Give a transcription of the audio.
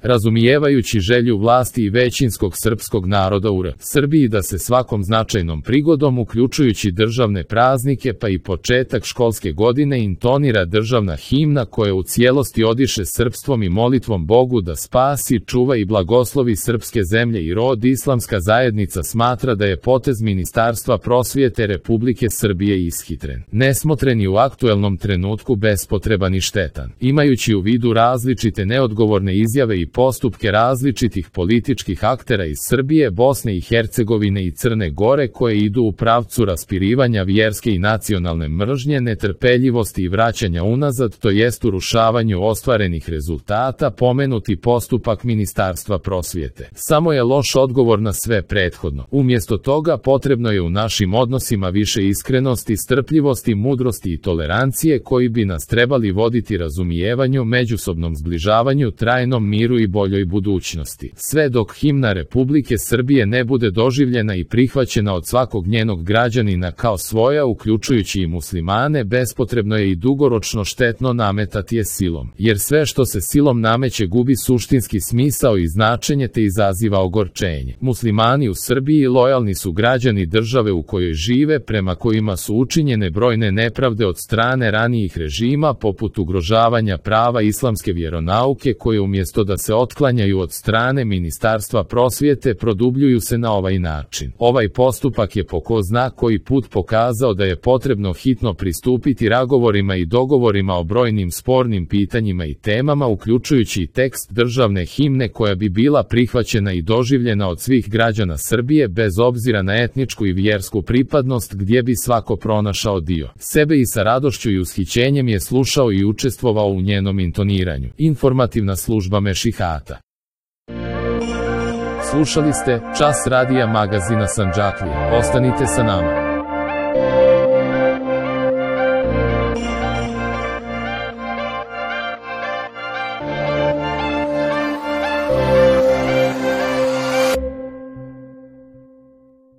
Razumijevajući želju vlasti i većinskog srpskog naroda u Srbiji da se svakom značajnom prigodom, uključujući državne praznike pa i početak školske godine, intonira državna himna koja u cijelosti odiše srpstvom i molitvom Bogu da spasi, čuva i blagoslovi srpske zemlje i rod, islamska zajednica smatra da je potez Ministarstva prosvjete Republike Srbije ishitren, nesmotren i u aktuelnom trenutku bespotreban i štetan. Imajući u vidu različite neodgovorne izjave i postupke različitih političkih aktera iz Srbije, Bosne i Hercegovine i Crne Gore koje idu u pravcu raspirivanja vjerske i nacionalne mržnje, netrpeljivosti i vraćanja unazad, to jest urušavanju ostvarenih rezultata, pomenuti postupak Ministarstva prosvjete samo je loš odgovor na sve prethodno. Umjesto toga potrebno je u našim odnosima više iskrenosti, strpljivosti, mudrosti i tolerancije koji bi nas trebali voditi razumijevanju, međusobnom zbližavanju, trajnom miru i boljoj budućnosti. Sve dok himna Republike Srbije ne bude doživljena i prihvaćena od svakog njenog građanina kao svoja, uključujući i muslimane, bespotrebno je i dugoročno štetno nametati je silom, jer sve što se silom nameće gubi suštinski smisao i značenje te izaziva ogorčenje. Muslimani u Srbiji lojalni su građani države u kojoj žive, prema kojima su učinjene brojne nepravde od strane ranijih režima, poput ugrožavanja prava islamske vjeronauke, koje umjesto da se otklanjaju od strane Ministarstva prosvjete, produbljuju se na ovaj način. Ovaj postupak je po ko zna koji put pokazao da je potrebno hitno pristupiti razgovorima i dogovorima o brojnim spornim pitanjima i temama, uključujući i tekst državne himne koja bi bila prihvaćena i doživljena od svih građana Srbije bez obzira na etničku i vjersku pripadnost, gdje bi svako pronašao dio sebe i sa radošću i ushićenjem je slušao i učestvovao u njenom intoniranju. Informativna služba Mešihata. Slušali ste Čas radija magazina Sandžaklija. Ostanite sa nama.